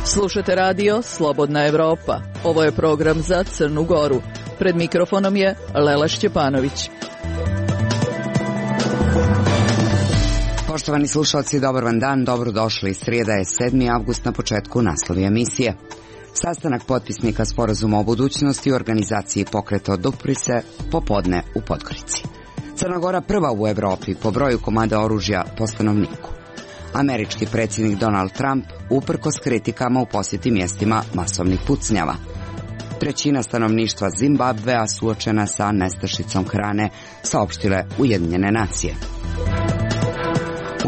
Slušate radio Slobodna Evropa. Ovo je program za Crnu Goru. Pred mikrofonom je Lela Šćepanović. Poštovani slušalci, dobar vam dan, dobrodošli. Srijeda je 7. avgust, na početku naslovi emisije. Sastanak potpisnika sporazuma o budućnosti u organizaciji pokreta Odupri-se popodne u Podgorici. Crna Gora prva u Evropi po broju komada oružja po stanovniku. Američki predsjednik Donald Trump uprkos kritikama u posjeti mjestima masovnih pucnjava. Trećina stanovništva Zimbabvea suočena sa nestašicom hrane, saopštile Ujedinjene nacije.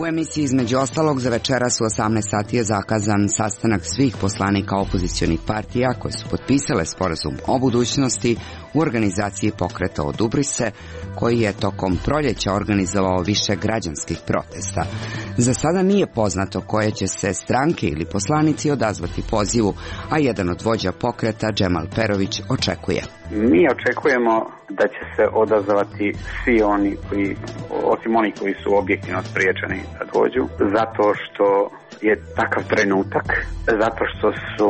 U emisiji između ostalog za večeras u 18 sati je zakazan sastanak svih poslanika opozicionih partija koje su potpisale sporazum o budućnosti u organizaciji pokreta Odupri-se, koji je tokom proljeća organizovao više građanskih protesta. Za sada nije poznato koje će se stranke ili poslanici odazvati pozivu, a jedan od vođa pokreta, Džemal Perović, očekuje. Mi očekujemo da će se odazvati svi oni koji, osim oni koji su objektivno spriječeni da dođu, zato što je takav trenutak, zato što su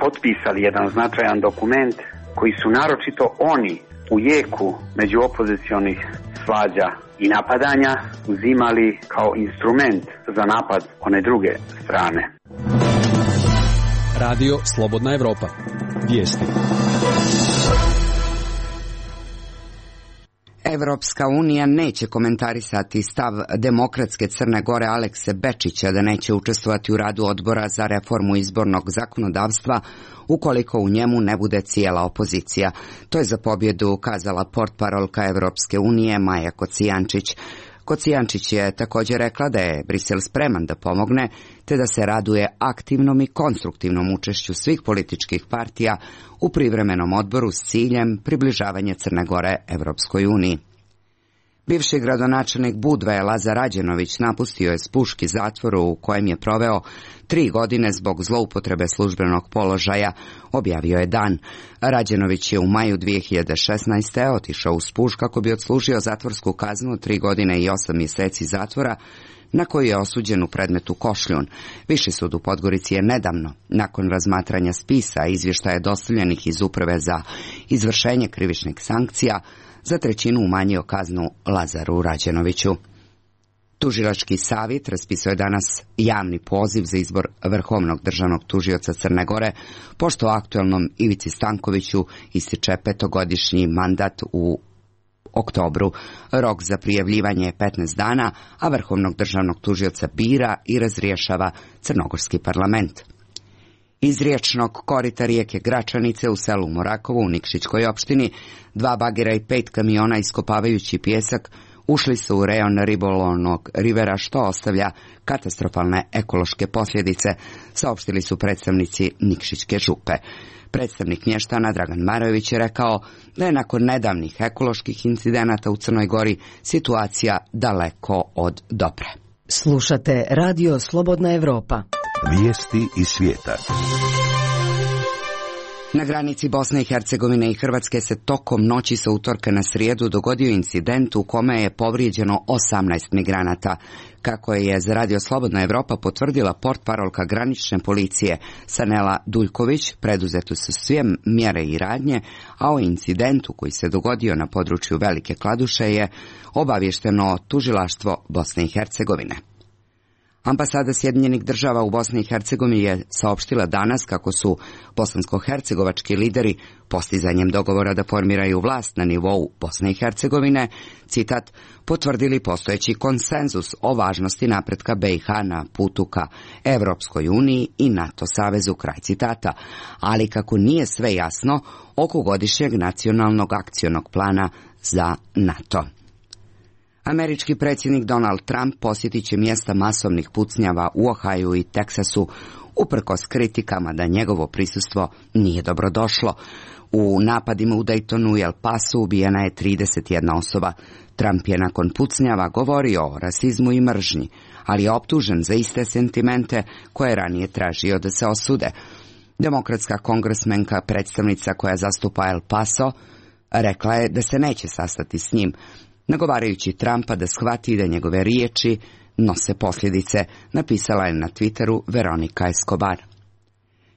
potpisali jedan značajan dokument koji su naročito oni u jeku među opozicionih svađa i napadanja uzimali kao instrument za napad one druge strane. Radio Slobodna Evropa. Vijesti. Evropska unija neće komentarisati stav demokratske Crne Gore Alekse Bečića da neće učestvovati u radu odbora za reformu izbornog zakonodavstva ukoliko u njemu ne bude cijela opozicija. To je za pobjedu kazala portparolka Evropske unije Maja Kocijančić. Kocijančić je također rekla da je Brisel spreman da pomogne, te da se raduje aktivnom i konstruktivnom učešću svih političkih partija u privremenom odboru s ciljem približavanja Crne Gore Evropskoj uniji. Bivši gradonačelnik Budve Lazar Rađenović napustio je Spuški zatvor u kojem je proveo 3 godine zbog zloupotrebe službenog položaja, objavio je Dan. Rađenović je u maju 2016. otišao u Spuš kako bi odslužio zatvorsku kaznu 3 godine i 8 mjeseci zatvora, na koju je osuđen u predmetu Košljun. Viši sud u Podgorici je nedavno, nakon razmatranja spisa i izvještaja dostavljenih iz Uprave za izvršenje krivičnih sankcija, za 1/3 umanjio kaznu Lazaru Rađenoviću. Tužilački savjet raspisao je danas javni poziv za izbor vrhovnog državnog tužioca Crne Gore, pošto aktuelnom Ivici Stankoviću ističe 5-godišnji mandat u oktobru. Rok za prijavljivanje je 15 dana, a vrhovnog državnog tužioca bira i razrješava crnogorski parlament. Iz riječnog korita rijeke Gračanice u selu Morakovo u Nikšićkoj opštini 2 bagera i 5 kamiona iskopavajući pijesak ušli su u rejon ribolovnog rivera, što ostavlja katastrofalne ekološke posljedice, saopštili su predstavnici Nikšićke župe. Predstavnik mještana Dragan Marojević je rekao da je nakon nedavnih ekoloških incidenata u Crnoj Gori situacija daleko od dobre. Slušate Radio Slobodna Evropa. Vijesti iz svijeta. Na granici Bosne i Hercegovine i Hrvatske se tokom noći sa utorka na srijedu dogodio incident u kome je povrijeđeno 18 migranata. Kako je za Radio Slobodna Evropa potvrdila portparolka granične policije Sanela Duljković, preduzete su sve mjere i radnje, a o incidentu koji se dogodio na području Velike Kladuše je obavješteno tužilaštvo Bosne i Hercegovine. Ambasada Sjedinjenih Država u Bosni i Hercegovini je saopštila danas kako su bosansko-hercegovački lideri postizanjem dogovora da formiraju vlast na nivou Bosne i Hercegovine, citat, potvrdili postojeći konsenzus o važnosti napretka BiH na putu ka Evropskoj uniji i NATO savezu, kraj citata, ali kako nije sve jasno oko godišnjeg nacionalnog akcionog plana za NATO. Američki predsjednik Donald Trump posjetit će mjesta masovnih pucnjava u Ohaju i Teksasu, uprkos kritikama da njegovo prisustvo nije dobrodošlo. U napadima u Daytonu i El Pasu ubijena je 31 osoba. Trump je nakon pucnjava govorio o rasizmu i mržnji, ali je optužen za iste sentimente koje je ranije tražio da se osude. Demokratska kongresmenka, predstavnica koja zastupa El Paso, rekla je da se neće sastati s njim, nagovarajući Trumpa da shvati da njegove riječi nose posljedice, napisala je na Twitteru Veronika Escobar.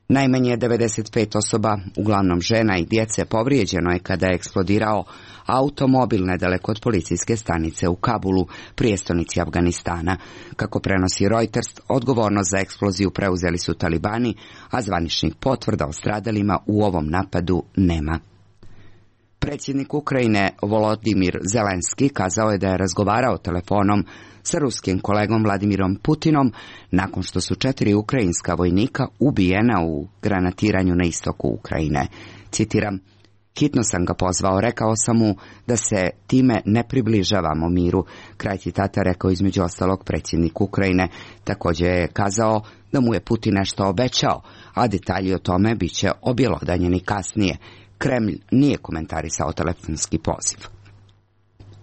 Najmanje 95 osoba, uglavnom žena i djece, povrijeđeno je kada je eksplodirao automobil nedaleko od policijske stanice u Kabulu, prijestolnici Afganistana. Kako prenosi Reuters, odgovornost za eksploziju preuzeli su talibani, a zvaničnih potvrda o stradalima u ovom napadu nema. Predsjednik Ukrajine Volodimir Zelenski kazao je da je razgovarao telefonom sa ruskim kolegom Vladimirom Putinom nakon što su 4 ukrajinska vojnika ubijena u granatiranju na istoku Ukrajine. Citiram: "Hitno sam ga pozvao, rekao sam mu da se time ne približavamo miru." Kraj citata rekao između ostalog predsjednik Ukrajine. Također je kazao da mu je Putin nešto obećao, a detalji o tome bit će objelodanjeni kasnije. Kremlj nije komentarisao telefonski poziv.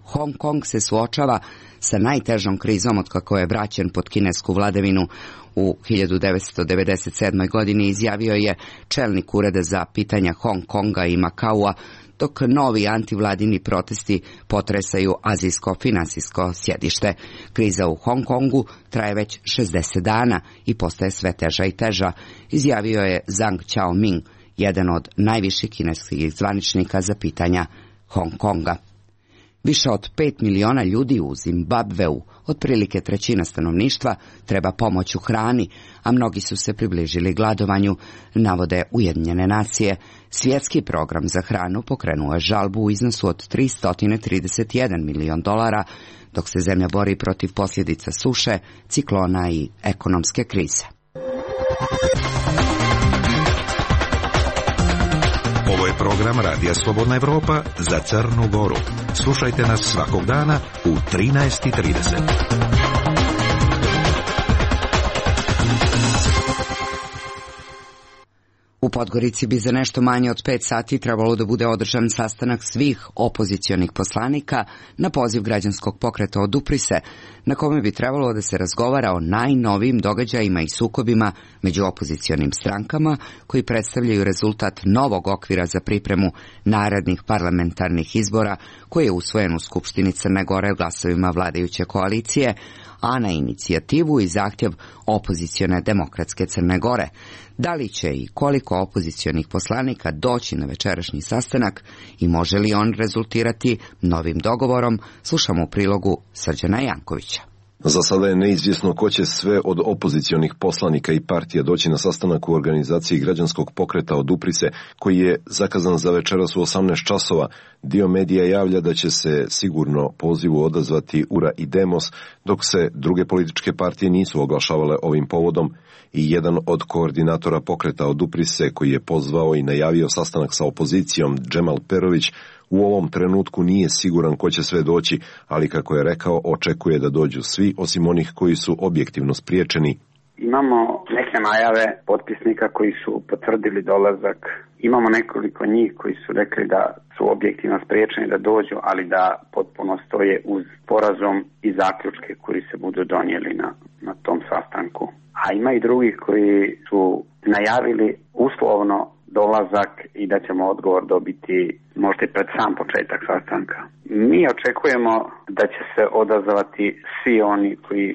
Hong Kong se suočava sa najtežom krizom otkako je vraćen pod kinesku vladavinu u 1997. godini, izjavio je čelnik ureda za pitanja Hong Konga i Makaua, dok novi antivladini protesti potresaju azijsko financijsko sjedište. Kriza u Hong Kongu traje već 60 dana i postaje sve teža i teža, izjavio je Zhang Xiaoming, jedan od najviših kineskih zvaničnika za pitanja Hong Konga. Više od 5 miliona ljudi u Zimbabveu, otprilike trećina stanovništva, treba pomoć u hrani, a mnogi su se približili gladovanju, navode Ujedinjene nacije. Svjetski program za hranu pokrenuo je žalbu u iznosu od $331 milion, dok se zemlja bori protiv posljedica suše, ciklona i ekonomske krize. Ovo je program Radija Slobodna Evropa za Crnu Goru. Slušajte nas svakog dana u 13:30. U Podgorici bi za nešto manje od 5 sati trebalo da bude održan sastanak svih opozicionih poslanika na poziv građanskog pokreta Odupri se, na kome bi trebalo da se razgovara o najnovijim događajima i sukobima među opozicionim strankama koji predstavljaju rezultat novog okvira za pripremu narednih parlamentarnih izbora koji je usvojen u Skupštini Crne Gore glasovima vladajuće koalicije, a na inicijativu i zahtjev opozicione demokratske Crne Gore. Da li će i koliko opozicionih poslanika doći na večerašnji sastanak i može li on rezultirati novim dogovorom, slušamo u prilogu Srđana Jankovića. Za sada je neizvjesno ko će sve od opozicionih poslanika i partija doći na sastanak u organizaciji građanskog pokreta Odupri se, koji je zakazan za večeras u 18 časova. Dio medija javlja da će se sigurno pozivu odazvati URA i Demos, dok se druge političke partije nisu oglašavale ovim povodom. I jedan od koordinatora pokreta Odupri se, koji je pozvao i najavio sastanak sa opozicijom, Džemal Perović, u ovom trenutku nije siguran ko će sve doći, ali kako je rekao, očekuje da dođu svi osim onih koji su objektivno spriječeni. Imamo neke najave potpisnika koji su potvrdili dolazak. Imamo nekoliko njih koji su rekli da su objektivno spriječeni da dođu, ali da potpuno stoje uz sporazum i zaključke koji se budu donijeli na tom sastanku. A ima i drugih koji su najavili uslovno dolazak i da ćemo odgovor dobiti možda i pred sam početak sastanka. Mi očekujemo da će se odazvati svi oni koji,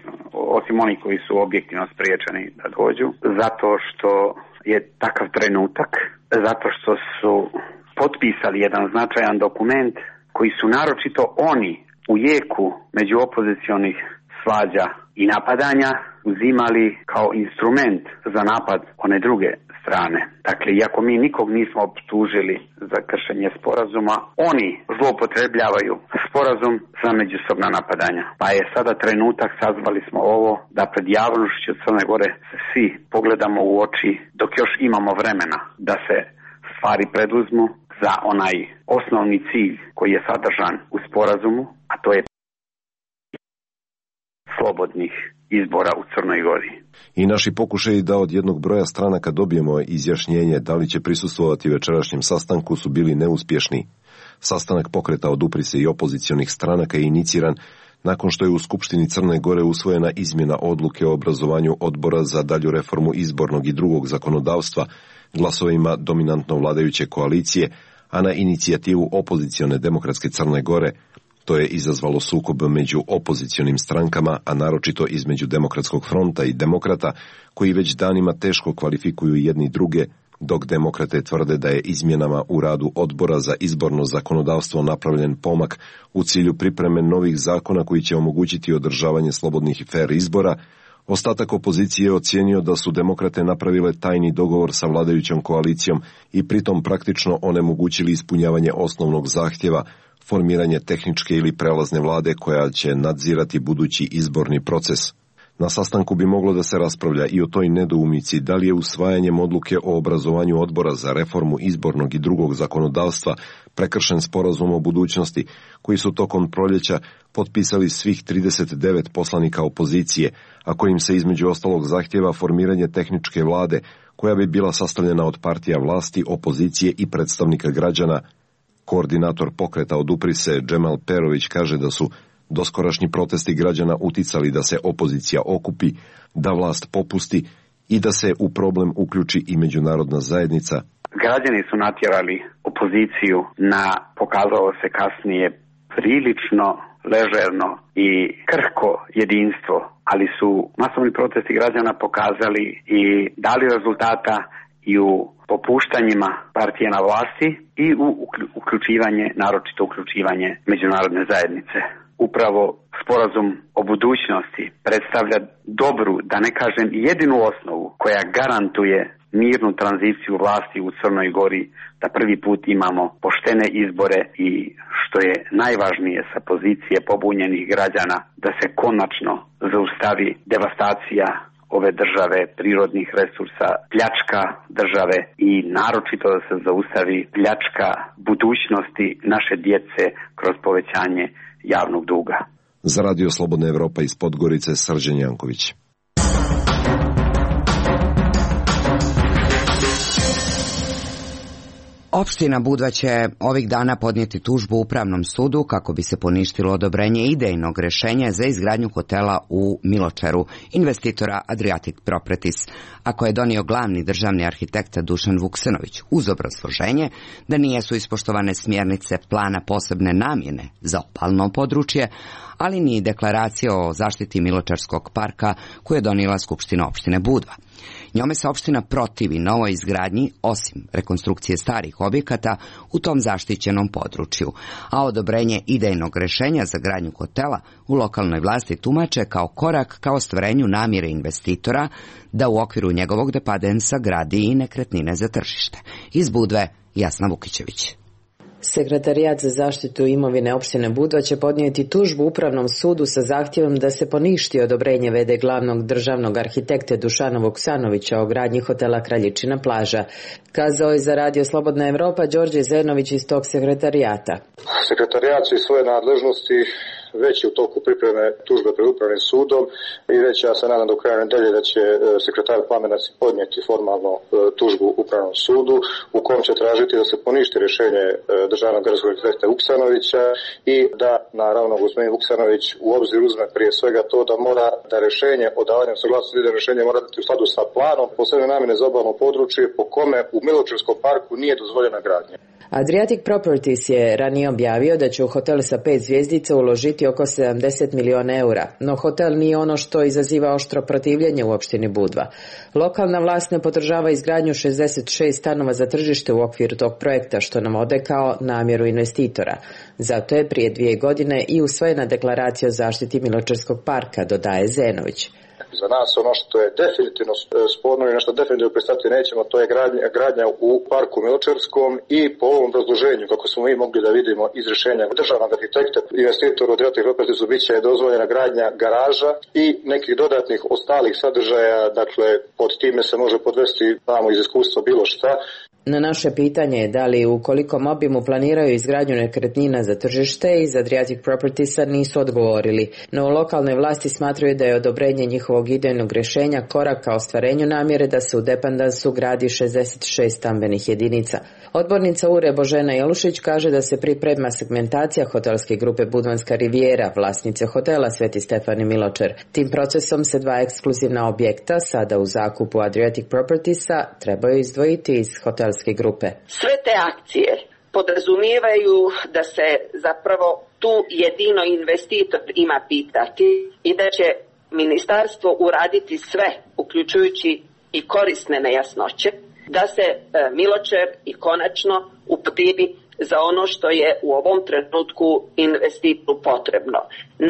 osim oni koji su objektivno spriječeni da dođu, zato što je takav trenutak, zato što su potpisali jedan značajan dokument koji su naročito oni u jeku među opozicionih svađa i napadanja uzimali kao instrument za napad one druge strane. Dakle, iako mi nikog nismo optužili za kršenje sporazuma, oni zloupotrebljavaju sporazum za međusobna napadanja. Pa je sada trenutak, sazvali smo ovo, da pred javnošću Crne Gore svi pogledamo u oči dok još imamo vremena da se stvari preduzmu za onaj osnovni cilj koji je sadržan u sporazumu, a to je slobodnih izbora u Crnoj Gori. I naši pokušaji da od jednog broja stranaka dobijemo izjašnjenje da li će prisustvovati večerašnjem sastanku su bili neuspješni. Sastanak pokreta Odupri se i opozicionih stranaka je iniciran nakon što je u Skupštini Crne Gore usvojena izmjena odluke o obrazovanju odbora za dalju reformu izbornog i drugog zakonodavstva glasovima dominantno vladajuće koalicije, a na inicijativu opozicione demokratske Crne Gore. To je izazvalo sukob među opozicionim strankama, a naročito između Demokratskog fronta i demokrata, koji već danima teško kvalifikuju jedni druge, dok demokrate tvrde da je izmjenama u radu odbora za izborno zakonodavstvo napravljen pomak u cilju pripreme novih zakona koji će omogućiti održavanje slobodnih i fer izbora. Ostatak opozicije je ocijenio da su demokrate napravile tajni dogovor sa vladajućom koalicijom i pritom praktično onemogućili ispunjavanje osnovnog zahtjeva, formiranje tehničke ili prelazne vlade koja će nadzirati budući izborni proces. Na sastanku bi moglo da se raspravlja i o toj nedoumici da li je usvajanjem odluke o obrazovanju odbora za reformu izbornog i drugog zakonodavstva prekršen sporazum o budućnosti, koji su tokom proljeća potpisali svih 39 poslanika opozicije, a kojim se između ostalog zahtjeva formiranje tehničke vlade, koja bi bila sastavljena od partija vlasti, opozicije i predstavnika građana. Koordinator pokreta Odupri se, Džemal Perović, kaže da su doskorašnji protesti građana uticali da se opozicija okupi, da vlast popusti i da se u problem uključi i međunarodna zajednica. Građani su natjerali opoziciju na, pokazalo se kasnije, prilično ležerno i krhko jedinstvo, ali su masovni protesti građana pokazali i dali rezultata i u popuštanjima partije na vlasti i u uključivanje, naročito uključivanje međunarodne zajednice. Upravo sporazum o budućnosti predstavlja dobru, da ne kažem jedinu osnovu, koja garantuje mirnu tranziciju vlasti u Crnoj Gori, da prvi put imamo poštene izbore i, što je najvažnije, sa pozicije pobunjenih građana, da se konačno zaustavi devastacija ove države, prirodnih resursa, pljačka države i naročito da se zaustavi pljačka budućnosti naše djece kroz povećanje javnog duga. Za Radio Slobodna Evropa iz Podgorice, Srđan Janković. Opština Budva će ovih dana podnijeti tužbu Upravnom sudu kako bi se poništilo odobrenje idejnog rješenja za izgradnju hotela u Miločeru investitora Adriatic Properties, a koje je donio glavni državni arhitekt Dušan Vuksanović, uz obrazloženje da nisu ispoštovane smjernice plana posebne namjene za obalno područje, ali ni deklaracija o zaštiti Miločarskog parka koju je donijela Skupština opštine Budva. Njome se opština protivi novoj izgradnji, osim rekonstrukcije starih objekata u tom zaštićenom području, a odobrenje idejnog rješenja za gradnju hotela u lokalnoj vlasti tumače kao korak ka ostvarenju namjere investitora da u okviru njegovog depadensa gradi i nekretnine za tržište. Iz Budve, Jasna Vukićević. Sekretarijat za zaštitu imovine opštine Budva će podnijeti tužbu Upravnom sudu sa zahtjevom da se poništi odobrenje v.d. glavnog državnog arhitekte Dušana Vuksanovića o gradnji hotela Kraljičina plaža. Kazao je za Radio Slobodna Evropa Đorđe Zenović iz tog sekretarijata. Sekretarijat će svoje nadležnosti već je u toku pripreme tužbe pred Upravnim sudom i već ja se nadam do kraja nedelje da će sekretar Plamenac podnijeti formalno tužbu Upravnom sudu u kom će tražiti da se poništi rješenje državnog gradskog arhitekta Vuksanovića i da naravno gospodin Vuksanović u obzir uzme prije svega to da mora da rješenje o davanju saglasnosti da rješenje mora dati u skladu sa planom posebne namjene za obalno područje po kome u Miločarskom parku nije dozvoljena gradnja. Adriatic Properties je ranije objavio da će u hotel sa 5 zvjezdica uložiti oko 70 miliona eura, no hotel nije ono što izaziva oštro protivljenje u opštini Budva. Lokalna vlast ne podržava izgradnju 66 stanova za tržište u okviru tog projekta, što navode kao namjeru investitora. Zato je prije 2 godine i usvojena deklaracija o zaštiti Miločarskog parka, dodaje Zenović. Za nas ono što je definitivno sporno i nešto definitivno pristati nećemo, to je gradnja u parku Miločarskom i po ovom obrazloženju, kako smo mi mogli da vidimo iz rješenja državnog arhitekta, investitoru Adriatic Properties bit će dozvoljena gradnja garaža i nekih dodatnih ostalih sadržaja, dakle pod time se može podvesti, znamo iz iskustva bilo šta. Na naše pitanje je da li u kolikom obimu planiraju izgradnju nekretnina za tržište iz Adriatic Propertiesa nisu odgovorili, no u lokalnoj vlasti smatraju da je odobrenje njihovog idejnog rješenja korak ka ostvarenju namjere da se u Dependansu gradi 66 stambenih jedinica. Odbornica URE Božena Jelušić kaže da se priprema segmentacija hotelske grupe Budvanska Riviera, vlasnice hotela Sveti Stefan i Miločer. Tim procesom se 2 ekskluzivna objekta, sada u zakupu Adriatic Propertiesa, trebaju izdvojiti iz hotelske grupe. Sve te akcije podrazumijevaju da se zapravo tu jedino investitor ima pitati i da će ministarstvo uraditi sve, uključujući i korisne nejasnoće, da se Miločer i konačno upotrebi za ono što je u ovom trenutku investitoru potrebno.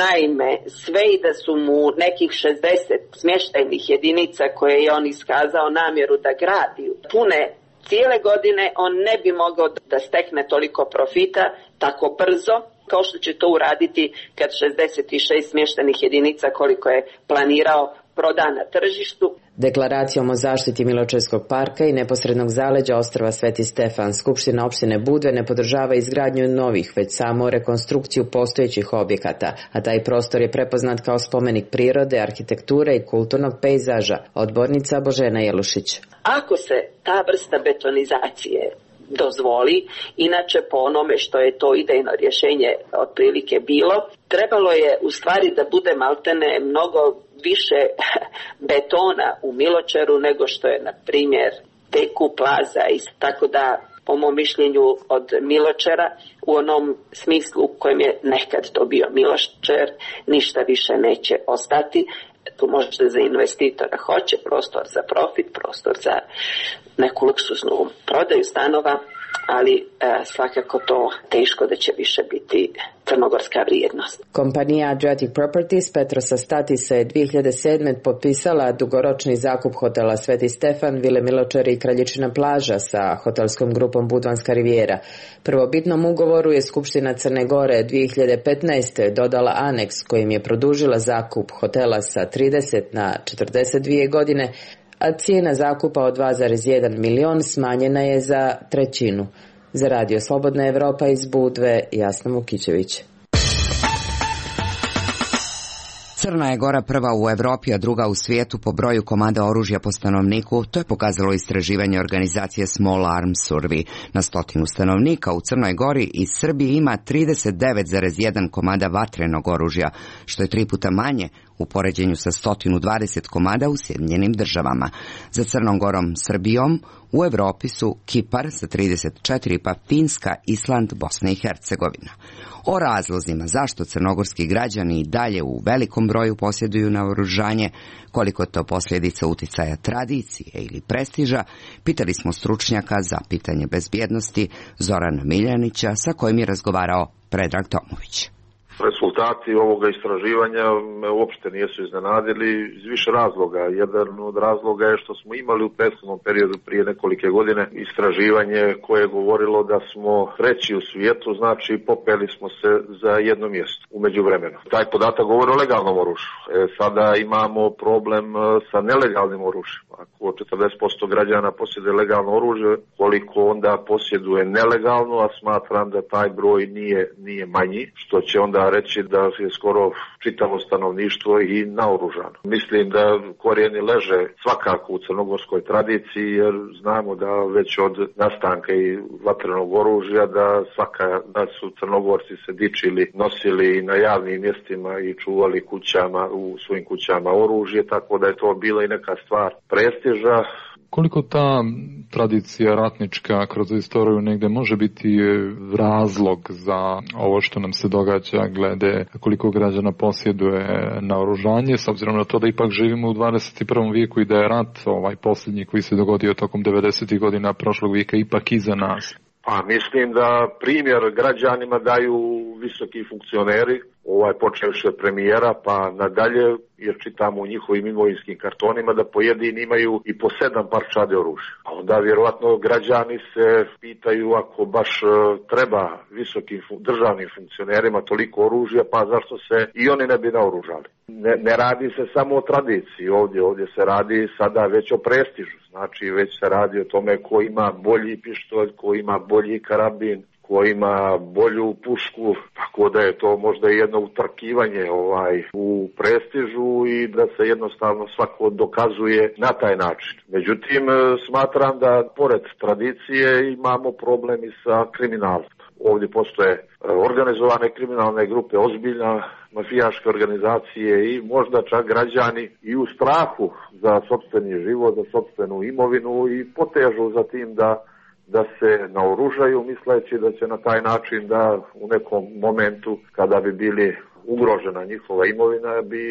Naime, sve i da su mu nekih 60 smještajnih jedinica koje je on iskazao namjeru da gradi pune cijele godine, on ne bi mogao da stekne toliko profita tako brzo kao što će to uraditi kad 66 smještajnih jedinica koliko je planirao proda na tržištu. Deklaracijom o zaštiti Miločerskog parka i neposrednog zaleđa ostrva Sveti Stefan, Skupština opštine Budve ne podržava izgradnju novih, već samo rekonstrukciju postojećih objekata, a taj prostor je prepoznat kao spomenik prirode, arhitekture i kulturnog pejzaža. Odbornica Božena Jelušić. Ako se ta vrsta betonizacije dozvoli, inače po onome što je to idejno rješenje otprilike bilo, trebalo je u stvari da bude maltene mnogo više betona u Miločeru nego što je, na primjer, Teku, Plaza i tako da, po mom mišljenju, od Miločera u onom smislu u kojem je nekad to bio Miločer, ništa više neće ostati. Tu možda za investitora hoće prostor za profit, prostor za neku luksuznu prodaju stanova, ali svakako to teško da će više biti crnogorska vrijednost. Kompanija Adriatic Properties Petrosa Statisa je 2007. potpisala dugoročni zakup hotela Sveti Stefan, Vile Miločer i Kraljičina plaža sa hotelskom grupom Budvanska Riviera. Prvobitnom ugovoru je Skupština Crne Gore 2015. dodala aneks kojim je produžila zakup hotela sa 30 na 42 godine, a cijena zakupa od 2,1 milion smanjena je za trećinu. Za Radio Slobodna Evropa iz Budve, Jasna Mukićević. Crna je Gora prva u Evropi, a druga u svijetu po broju komada oružja po stanovniku. To je pokazalo istraživanje organizacije Small Arms Survey. Na 100 stanovnika u Crnoj Gori i Srbiji ima 39,1 komada vatrenog oružja, što je 3 puta manje u poređenju sa 120 komada u Sjedinjenim Državama. Za Crnom Gorom, Srbijom u Evropi su Kipar sa 34, pa Finska, Island, Bosna i Hercegovina. O razlozima zašto crnogorski građani i dalje u velikom broju posjeduju naoružanje, koliko to posljedica uticaja tradicije ili prestiža, pitali smo stručnjaka za pitanje bezbjednosti Zorana Miljanića, sa kojim je razgovarao Predrag Tomović. Rezultati ovoga istraživanja me uopšte nisu iznenadili iz više razloga. Jedan od razloga je što smo imali u prethodnom periodu prije nekolike godine istraživanje koje je govorilo da smo treći u svijetu, znači popeli smo se za jedno mjesto u međuvremenu. Taj podatak govori o legalnom oružju. Sada imamo problem sa nelegalnim oružjem. Ako 40% građana posjeduje legalno oružje, koliko onda posjeduje nelegalno, a smatram da taj broj nije manji, što će onda reći da je skoro čitavo stanovništvo i naoružano. Mislim da korijeni leže svakako u crnogorskoj tradiciji, jer znamo da već od nastanka i vatrenog oružja da su Crnogorci se dičili, nosili na javnim mjestima i čuvali u svojim kućama oružje, tako da je to bila i neka stvar prestiža. Koliko ta tradicija ratnička kroz istoriju negdje može biti razlog za ovo što nam se događa glede koliko građana posjeduje naoružanje, s obzirom na to da ipak živimo u 21. vijeku i da je rat posljednji koji se dogodio tokom 90. godina prošlog vijeka ipak iza nas? Pa mislim da primjer građanima daju visoki funkcioneri počevši od premijera pa nadalje, jer čitamo u njihovim imovinskim kartonima da pojedini imaju i po 7 parčade oružja. A onda vjerovatno građani se pitaju, ako baš treba visokim državnim funkcionerima toliko oružja, pa zašto se i oni ne bi naoružali? Ne radi se samo o tradiciji ovdje se radi sada već o prestižu, znači već se radi o tome ko ima bolji pištolj, ko ima bolji karabin, ko ima bolju pušku, tako da je to možda jedno utrkivanje u prestižu i da se jednostavno svako dokazuje na taj način. Međutim, smatram da pored tradicije imamo problem i sa kriminalstvom. Ovdje postoje organizovane kriminalne grupe, ozbiljna mafijaške organizacije i možda čak građani i u strahu za sopstveni život, za sopstvenu imovinu i potežu za tim da se naoružaju misleći da će na taj način da u nekom momentu kada bi bili ugrožena njihova imovina bi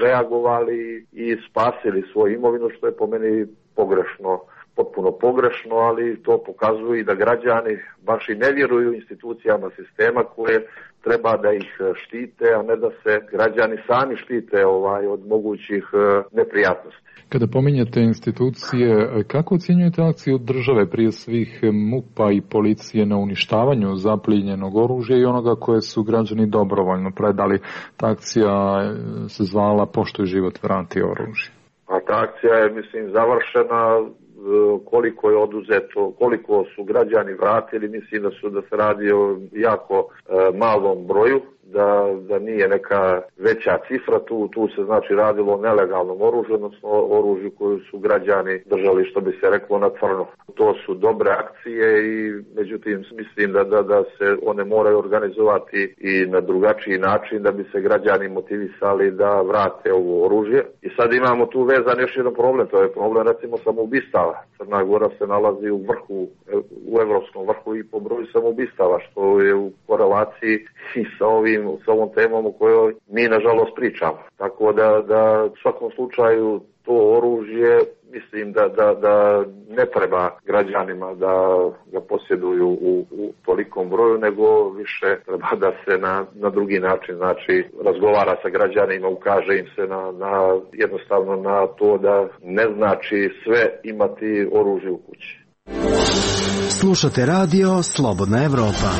reagovali i spasili svoju imovinu, što je po meni pogrešno, potpuno pogrešno, ali to pokazuje i da građani baš i ne vjeruju institucijama sistema koje treba da ih štite, a ne da se građani sami štite od mogućih neprijatnosti. Kada pominjete institucije, kako ocjenjujete akciju države, prije svih MUP-a i policije, na uništavanju zaplijenjenog oružja i onoga koje su građani dobrovoljno predali? Ta akcija se zvala Poštuj život, vrati oružje. A ta akcija je, završena. Koliko je oduzeto, koliko su građani vratili, mislim da se radi o jako malom broju, da nije neka veća cifra, tu se znači radilo o nelegalnom oružju, odnosno oružju koju su građani držali, što bi se reklo, na crno. To su dobre akcije i međutim mislim da se one moraju organizovati i na drugačiji način da bi se građani motivisali da vrate ovo oružje. I sad imamo tu vezan još jedan problem, to je problem recimo samoubistava. Crna Gora se nalazi u vrhu, u evropskom vrhu i po broju samoubistava, što je u korelaciji i sa ovom temom o kojoj mi nažalost pričamo. Tako da u svakom slučaju to oružje mislim da ne treba građanima da ga posjeduju u tolikom broju, nego više treba da se na drugi način, znači razgovara sa građanima, ukaže im se na jednostavno na to da ne znači sve imati oružje u kući. Slušate radio Slobodna Evropa.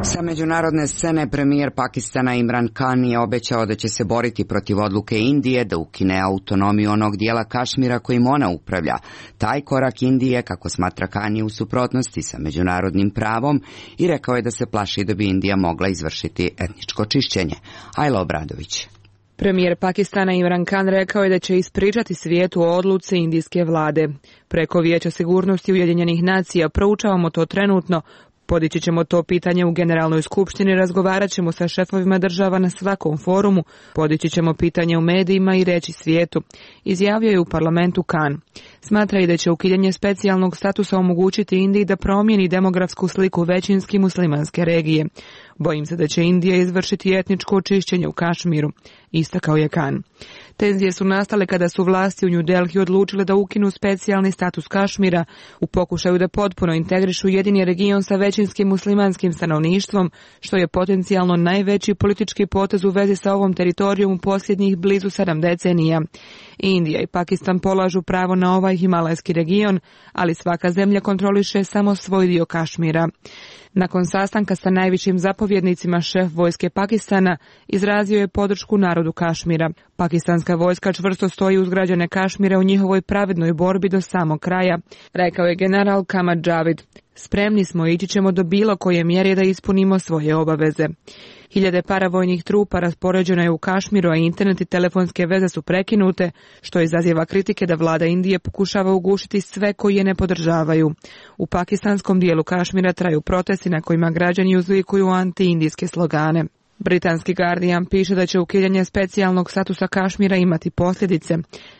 Sa međunarodne scene premijer Pakistana Imran Khan je obećao da će se boriti protiv odluke Indije da ukine autonomiju onog dijela Kašmira kojim ona upravlja. Taj korak Indije, kako smatra Khan, je u suprotnosti sa međunarodnim pravom i rekao je da se plaši da bi Indija mogla izvršiti etničko čišćenje. Ajla Obradović. Premijer Pakistana Imran Khan rekao je da će ispričati svijetu o odluci indijske vlade. Preko Vijeća sigurnosti Ujedinjenih nacija proučavamo to trenutno. Podići ćemo to pitanje u Generalnoj skupštini, razgovarat ćemo sa šefovima država na svakom forumu, podići ćemo pitanje u medijima i reći svijetu, izjavio je u parlamentu Khan. Smatra i da će ukidanje specijalnog statusa omogućiti Indiji da promijeni demografsku sliku većinski muslimanske regije. Bojim se da će Indija izvršiti etničko očišćenje u Kašmiru, istakao je Khan. Tenzije su nastale kada su vlasti u New Delhi odlučile da ukinu specijalni status Kašmira u pokušaju da potpuno integrišu jedini region sa većinskim muslimanskim stanovništvom, što je potencijalno najveći politički potez u vezi sa ovom teritorijom u posljednjih blizu 7 decenija. Indija i Pakistan polažu pravo na ovaj himalajski region, ali svaka zemlja kontroliše samo svoj dio Kašmira. Nakon sastanka sa najvišim zapovjednicima, šef vojske Pakistana izrazio je podršku narodu Kašmira. Pakistanska vojska čvrsto stoji uz građane Kašmira u njihovoj pravednoj borbi do samog kraja, rekao je general Kamar Javid. Spremni smo i ići ćemo do bilo koje mjere da ispunimo svoje obaveze. Hiljade paravojnih trupa raspoređeno je u Kašmiru, a internet i telefonske veze su prekinute, što izaziva kritike da vlada Indije pokušava ugušiti sve koji je ne podržavaju. U pakistanskom dijelu Kašmira traju protesti na kojima građani uzvikuju anti-indijske slogane. Britanski Guardian piše da će ukidanje specijalnog statusa Kašmira imati posljedice.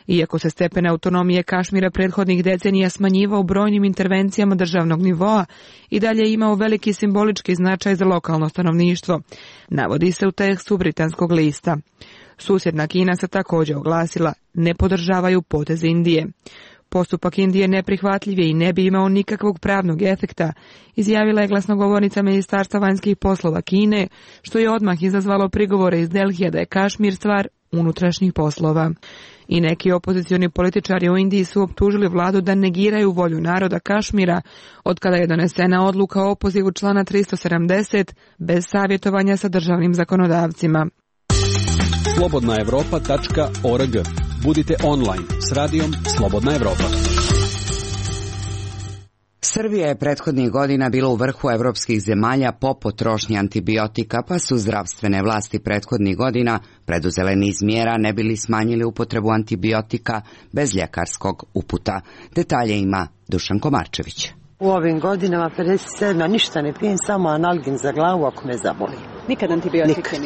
Iako se stepen autonomije Kašmira prethodnih decenija smanjivao brojnim intervencijama državnog nivoa, i dalje imao veliki simbolički značaj za lokalno stanovništvo, navodi se u tekstu britanskog lista. Susjedna Kina se također oglasila, ne podržavaju potez Indije. Postupak Indije neprihvatljiv je i ne bi imao nikakvog pravnog efekta, izjavila je glasnogovornica Ministarstva vanjskih poslova Kine, što je odmah izazvalo prigovore iz Delhija da je Kašmir stvar unutrašnjih poslova. I neki opozicioni političari u Indiji su optužili vladu da negiraju volju naroda Kašmira, od kada je donesena odluka o opozivu člana 370 bez savjetovanja sa državnim zakonodavcima. slobodnaevropa.org. Budite online s radijom Slobodna Evropa. Srbija je prethodnih godina bila u vrhu evropskih zemalja po potrošnji antibiotika, pa su zdravstvene vlasti prethodnih godina preduzele niz mjera ne bili smanjili upotrebu antibiotika bez ljekarskog uputa. Detalje ima Dušan Komarčević. U ovim godinama 57 ništa ne pijem, samo analgin za glavu ako me zaboli. Nikad antibiotike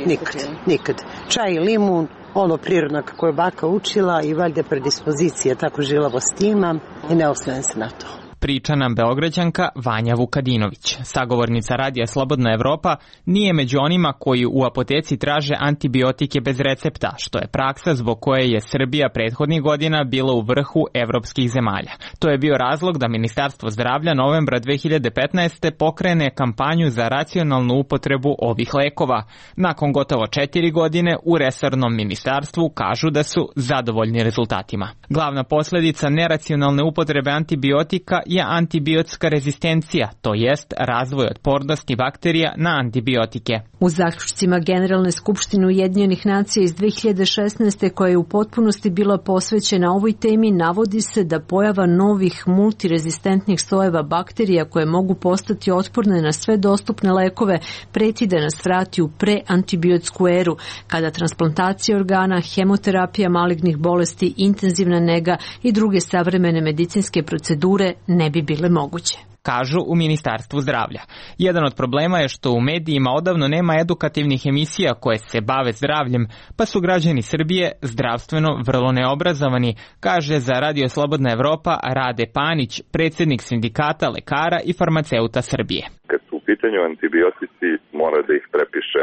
nikad. Čaj i limun, ono prirodno kako je baka učila i valjda predispozicije, tako žilavost imam i ne osvrnem se na to. Priča nam Beograđanka Vanja Vukadinović. Sagovornica radija Slobodna Evropa nije među onima koji u apoteci traže antibiotike bez recepta, što je praksa zbog koje je Srbija prethodnih godina bila u vrhu evropskih zemalja. To je bio razlog da Ministarstvo zdravlja novembra 2015. pokrene kampanju za racionalnu upotrebu ovih lekova. Nakon gotovo 4 godine u resornom ministarstvu kažu da su zadovoljni rezultatima. Glavna posljedica neracionalne upotrebe antibiotika je antibiotska rezistencija, to jest razvoj otpornosti bakterija na antibiotike. U zaključcima Generalne skupštine Ujedinjenih nacija iz 2016. koja je u potpunosti bila posvećena ovoj temi, navodi se da pojava novih multirezistentnih sojeva bakterija koje mogu postati otporne na sve dostupne lekove preti da nas vrati u preantibiotsku eru, kada transplantacija organa, hemoterapija malignih bolesti, intenzivna nega i druge savremene medicinske procedure ne bi bile moguće. Kažu u Ministarstvu zdravlja. Jedan od problema je što u medijima odavno nema edukativnih emisija koje se bave zdravljem, pa su građani Srbije zdravstveno vrlo neobrazovani, kaže za Radio Slobodna Evropa Rade Panić, predsjednik sindikata lekara i farmaceuta Srbije. Kad su u pitanju antibiotici, mora da ih prepiše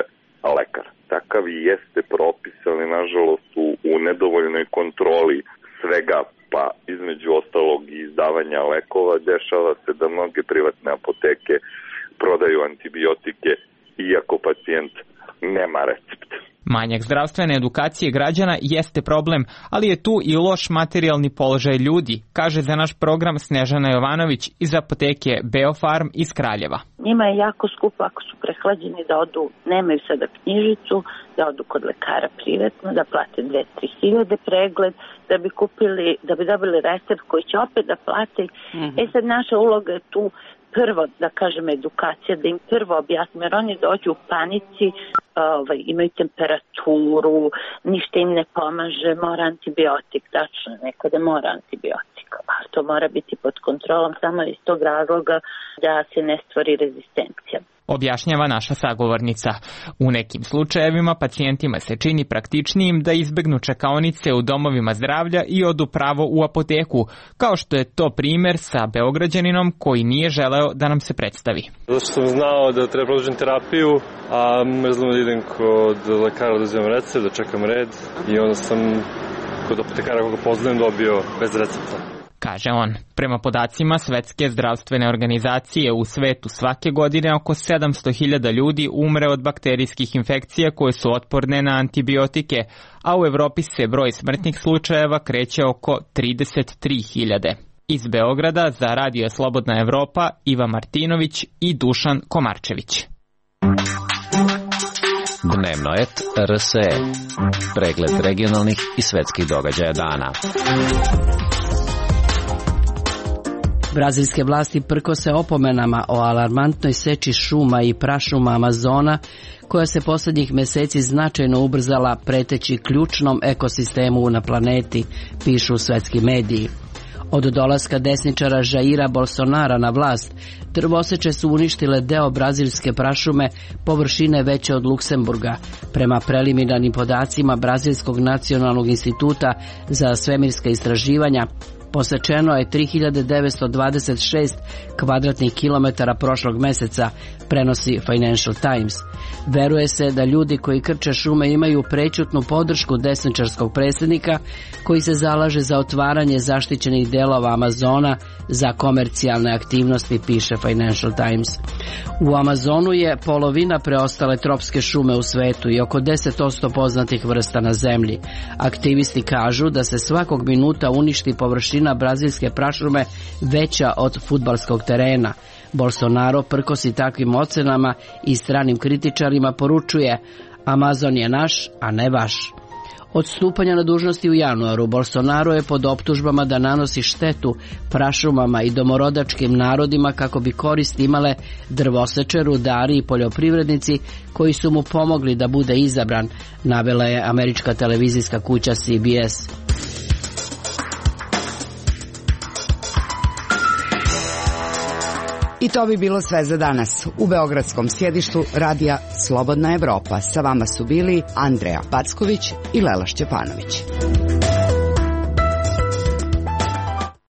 lekar. Takav i jeste propis, ali nažalost u nedovoljnoj kontroli svega, pa između ostalog i izdavanja lekova, dešava se da mnoge privatne apoteke prodaju antibiotike iako pacijent nema recept. Manjak zdravstvene edukacije građana jeste problem, ali je tu i loš materijalni položaj ljudi, kaže za naš program Snežana Jovanović iz apoteke Beofarm iz Kraljeva. Njima je jako skupo ako su prehlađeni da odu, nemaju sada knjižicu, da odu kod lekara privatno, da plate 2-3 hiljade pregled, da bi kupili, da bi dobili recept koji će opet da plate. Sad naša uloga je tu prvo, da kažem, edukacija, da im prvo objasnim, jer oni dođu u panici, imaju temperaturu, ništa im ne pomaže, mora antibiotik, tačno, nekada mora antibiotik, ali to mora biti pod kontrolom samo iz tog razloga da se ne stvori rezistencija. Objašnjava naša sagovornica. U nekim slučajevima pacijentima se čini praktičnijim da izbegnu čekaonice u domovima zdravlja i odu pravo u apoteku, kao što je to primjer sa Beograđaninom koji nije želeo da nam se predstavi. Zato sam znao da treba produžiti terapiju, a mrzlo da idem kod lekara da uzimam recept, da čekam red i onda sam kod apotekara koga poznajem dobio bez recepta. Kaže on. Prema podacima Svetske zdravstvene organizacije u svetu svake godine oko 700.000 ljudi umre od bakterijskih infekcija koje su otporne na antibiotike, a u Evropi se broj smrtnih slučajeva kreće oko 33.000. Iz Beograda za Radio Slobodna Evropa Iva Martinović i Dušan Komarčević. Dnevno et RSE. Pregled regionalnih i svetskih događaja dana. Brazilske vlasti prkose opomenama o alarmantnoj seči šuma i prašuma Amazona, koja se posljednjih mjeseci značajno ubrzala preteći ključnom ekosistemu na planeti, pišu svetski mediji. Od dolaska desničara Jaira Bolsonara na vlast, drvoseče su uništile deo brazilske prašume površine veće od Luksemburga, prema preliminarnim podacima Brazilskog nacionalnog instituta za svemirska istraživanja. Posečeno je 3926 kvadratnih kilometara prošlog meseca, prenosi Financial Times. Veruje se da ljudi koji krče šume imaju prećutnu podršku desničarskog predsjednika koji se zalaže za otvaranje zaštićenih delova Amazona za komercijalne aktivnosti, piše Financial Times. U Amazonu je polovina preostale tropske šume u svetu i oko 10% poznatih vrsta na zemlji. Aktivisti kažu da se svakog minuta uništi površina brazilske prašume veća od fudbalskog terena. Bolsonaro prkosi takvim ocenama i stranim kritičarima poručuje: Amazon je naš, a ne vaš. Od stupanja na dužnosti u januaru Bolsonaro je pod optužbama da nanosi štetu prašumama i domorodačkim narodima kako bi korist imale drvoseče, rudari i poljoprivrednici koji su mu pomogli da bude izabran, navela je američka televizijska kuća CBS. I to bi bilo sve za danas. U beogradskom sjedištu radija Slobodna Evropa sa vama su bili Andreja Packović i Lela Šćepanović.